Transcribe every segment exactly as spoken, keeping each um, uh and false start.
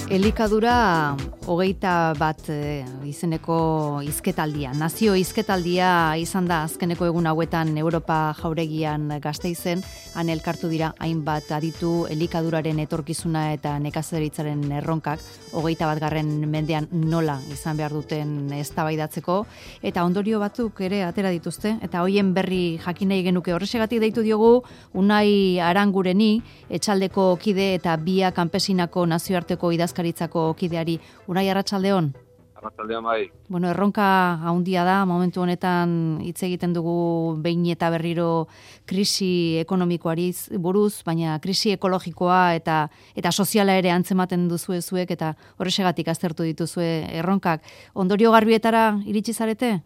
Elikadura hogeita bat e, izeneko hizketaldia, nazio hizketaldia izan da azkeneko egun hauetan Europa jauregian Gasteizen, han elkartu dira hainbat aditu elikaduraren etorkizuna eta nekazaritzaren erronkak, hogeita bat garren mendean nola izan behar duten eztabaidatzeko, eta ondorio batzuk ere atera dituzte, eta hoien berri jakin nahi genuke. Horrexegatik deitu diogu Unai Arangureni, etxaldeko kide eta Bia Kanpesinako nazioarteko idazkaritzako kideari. Unai, arratsaldeon. Arratsaldeon bai. Bueno, erronka handia da, momentu honetan hitz egiten dugu behin eta berriro krisi ekonomikoari buruz, baina krisi ekologikoa eta eta soziala ere antzematen duzue zuek, eta horrexegatik aztertu dituzue erronkak. Ondorio garbietara iritsi zarete?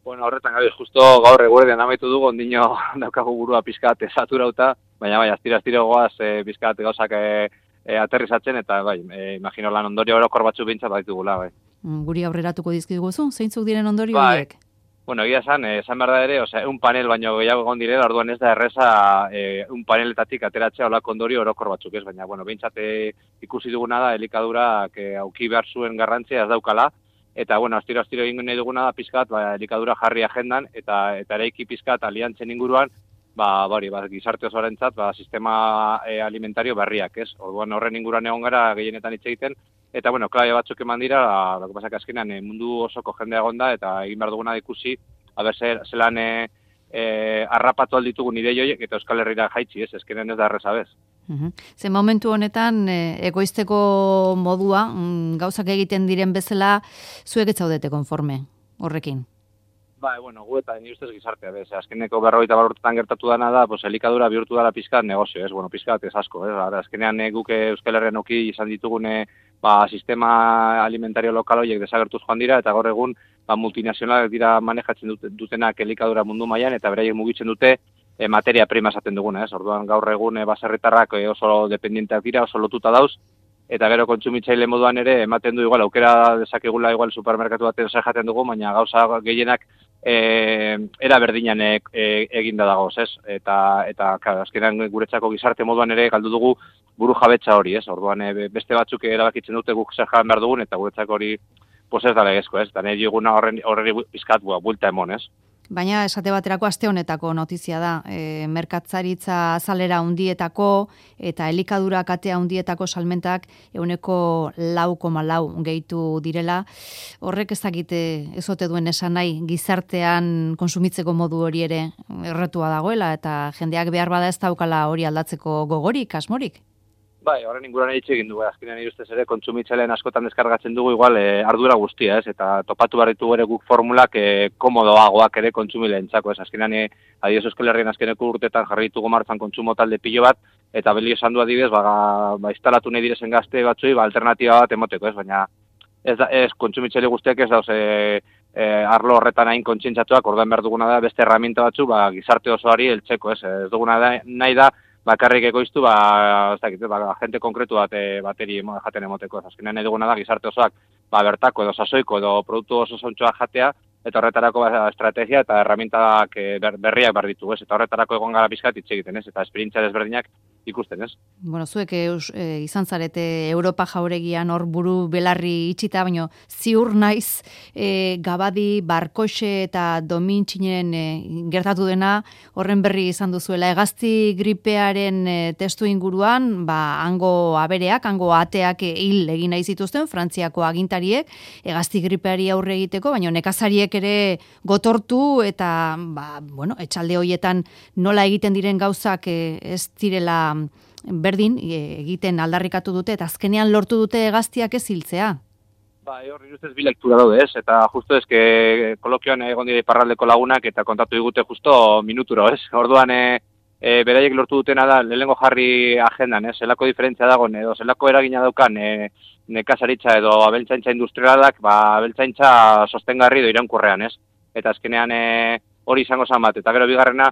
Bueno, horretan gabe, justo gaur eguerdean amaitu dugu, ondino daukagu burua pizkat saturauta, baina bai, astira-astira goaz e, pizkat gauzak e, e, aterrizatzen, eta bai, e, imagino lan ondorio orokor batzuk bintzat baitugula, bai. Guri aurreratuko dizkiguzu, zeintzuk diren ondorio bai. horiek? Bueno, egia esan, esan behar da ere, osea, un panel baino gehiago egon direla, orduan ez da erreza e, un paneletatik ateratzea olako ondorio orokor batzuk ez, baina, bueno, bintzat e, ikusi duguna da, elikadurak e, auki behar zuen garrantzia ez daukala, eta, bueno, astiro-astiro egin nahi duguna da pizkat, ba, elikadura jarri agendan, eta eta eraiki pizkat aliantzen inguruan, ba, bari, ba, gizarte osoarentzat, ba, sistema e, alimentario berriak, ez? Orduan horren inguruan egon gara gehienetan hitz egiten, eta, bueno, klabe batzuk eman dira, ba, pasak azkenean e, mundu osoko jendea egonda, eta egin behar duguna da ikusi, aber zer, zelan e, e, arrapatu alditugun ideio horiek, eta Euskal Herrira jaitsi, ez? Ezkenen ez da erreza bez. Uhum. Ze momentu honetan, e, egoizteko modua, mm, gauzak egiten diren bezala, zuek ez zaudete konforme horrekin? Ba, bueno, gu eta ni ustez gizartea, bez, azkeneko berrogeita bat urtetan gertatu dana da, pues, elikadura bihurtu dela pizkat negozio, ez, bueno, pizkat ez asko, ez, ara, azkenean e, guk Euskal Herrian oki izan ditugune, ba, sistema alimentario lokal horiek desagertuz joan dira, eta gaur egun, ba, multinazionalak dira manejatzen dut, dutenak elikadura mundu mailan eta beraiek mugitzen dute e, materia prima esaten duguna, ez, orduan gaur egun e, baserritarrak e, oso dependienteak dira, oso lotuta dauz, eta gero kontsumitzaile moduan ere ematen du igual, aukera dezakegula igual supermerkatu baten zer jaten dugu, baina gauza gehienak e, era berdinan e, e, eginda dagoz, ez? Eta, eta claro, azkenean guretzako gizarte moduan ere galdu dugu buru jabetza hori, ez? Orduan e, beste batzuk erabakitzen dute guk zer jaten behar dugun, eta guretzako hori pues ez da legezko, ez? Eta nahi diguna horren horri pizkat buelta emon, ez? Baina esate baterako aste honetako notizia da, e, merkatzaritza azalera hundietako eta elikadura katea hundietako salmentak ehuneko lau koma lau gehitu direla. Horrek ez dakite ez ote duen esan nahi gizartean konsumitzeko modu hori ere erretua dagoela, eta jendeak behar bada ez daukala hori aldatzeko gogorik, asmorik? Bai, horren inguruan hitz egin dugu, azkenean nire ustez ere kontsumitzaileen askotan deskargatzen dugu igual e, ardura guztia, ez? Eta topatu behar ditugu ere guk formulak e, komodoagoak ere kontsumileentzako, ez? Azkenean e, adibidez Euskal Herrian azkeneko urtetan jarri ditugu martzan kontsumo talde pilo bat, eta beli esan du adibidez, ba, ba instalatu nahi direzen gazte batzuei, ba, alternatiba bat emoteko, ez? Baina ez da, ez kontsumitzaile guztiak ez dauz e, e, arlo horretan hain kontzientzatuak, orduan behar duguna da beste herramienta batzu, ba, gizarte osoari heltzeko, ez? Ez duguna da, nahi da bakarrik ekoiztu, ba, ez dakit, ba, gente konkretu bat e, bateri jaten emoteko. Azkenean nahi duguna da gizarte osoak ba, bertako edo sasoiko edo produktu oso zontxoak jatea, eta horretarako ba, estrategia eta herramientak e, ber, berriak behar ditugu, ez? Eta horretarako egon gara pizkat hitz egiten, ez? Eta esperientzia desberdinak ikusten, ez? Bueno, zuek eus, e, izan zarete Europa jauregian hor buru belarri itxita, baino ziur naiz e, Gabadi, Barkoxe eta Domintxinen e, gertatu dena horren berri izan duzuela. Hegazti gripearen e, testu inguruan, ba, hango abereak, hango ateak e, hil egin nahi zituzten, Frantziako agintariek, hegazti gripeari aurre egiteko, baina nekazariek ere gotortu eta, ba, bueno, etxalde hoietan nola egiten diren gauzak e, ez direla berdin egiten aldarrikatu dute, eta azkenean lortu dute hegaztiak ez hiltzea. Ba, hor ustez bi lektura daude, ez? Eta justo eske kolokioan egon dira iparraldeko lagunak eta kontatu digute justo minuturo, ez? Orduan e, e, beraiek lortu dutena da lehenengo jarri agendan, ez? Zelako diferentzia dagoen edo zelako eragina daukan e, nekazaritza edo abeltzaintza industrialak, ba abeltzaintza sostengarri edo iraunkorrean, ez? Eta azkenean e, hori izango zen bat, eta gero bigarrena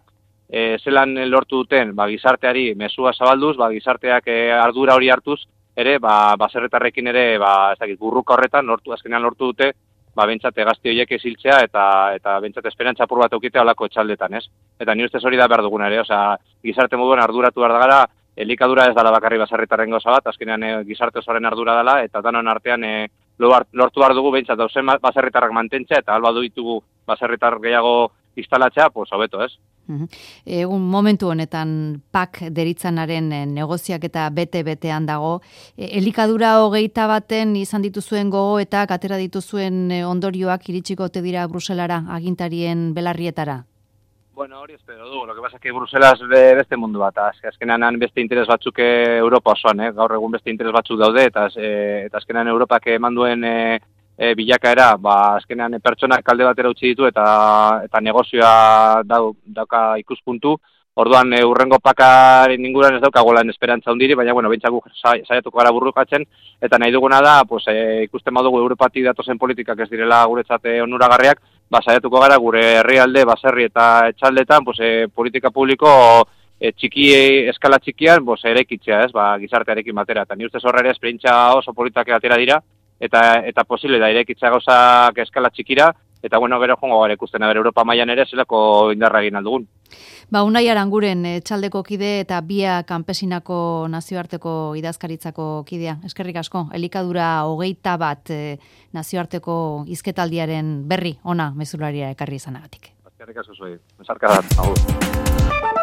E, zelan lortu duten, ba, gizarteari mesua zabalduz, ba, gizarteak e, ardura hori hartuz, ere, ba, baserretarrekin ere, ba, ez dakit, burruka horretan, lortu, azkenean lortu dute, ba, bentsate gazti horiek eziltzea, eta, eta bentsate esperantza apur bat eukitea olako etxaldetan, ez? Eta ni ustez hori da behar duguna ere, osea, gizarte moduan arduratu behar da gara, elikadura ez dala bakarri baserritarren gauza bat, azkenean e, gizarte osoaren ardura dela, eta danon artean e, lortu behar dugu behintzat dauzen baserritarrak mantentzea, eta alba ditugu baserritar gehiago instalatzea, pues hobeto, ez? Egun momentu honetan pak deritzanaren negoziak eta bete-betean dago. Elikadura hogeita baten izan dituzuen gogo eta atera dituzuen ondorioak iritsiko ote dira Bruselara, agintarien belarrietara? Bueno, hori espero du. Lo que pasa es que Bruselas beste mundu bat, azkenean beste interes batzuk Europa osoan, eh? Gaur egun beste interes batzuk daude, eta, e, eta azkenean Europak eman duen e, e, bilakaera, ba, azkenean e, pertsonak kalde batera utzi ditu, eta eta negozioa dau, dauka ikuspuntu. Orduan, e, urrengo pakaren inguruan ez daukagolan esperantza hundiri, baina, bueno, bintzaku saiatuko gara burrukatzen, eta nahi duguna da, pues, e, ikusten badugu Europatik datozen politikak ez direla guretzat onuragarriak, ba, saiatuko gara gure herrialde, baserri eta etxaldetan, pues, e, politika publiko e, txiki, eskala txikian, pues, erekitzea, ez, ba, gizartearekin batera. Eta ni ustez horre esperientzia oso politak atera dira, eta eta posible da irekitzea gauzak eskala txikira, eta bueno, gero jongo gara ikusten, aber Europa mailan ere zelako indarra egin aldugun. Ba, Unai Aranguren etxaldeko kide eta Bia Kanpesinako nazioarteko idazkaritzako kidea. Eskerrik asko, elikadura hogeita bat e, nazioarteko hizketaldiaren berri ona mezularia ekarri izanagatik. Eskerrik asko zuei, besarkadan, agur.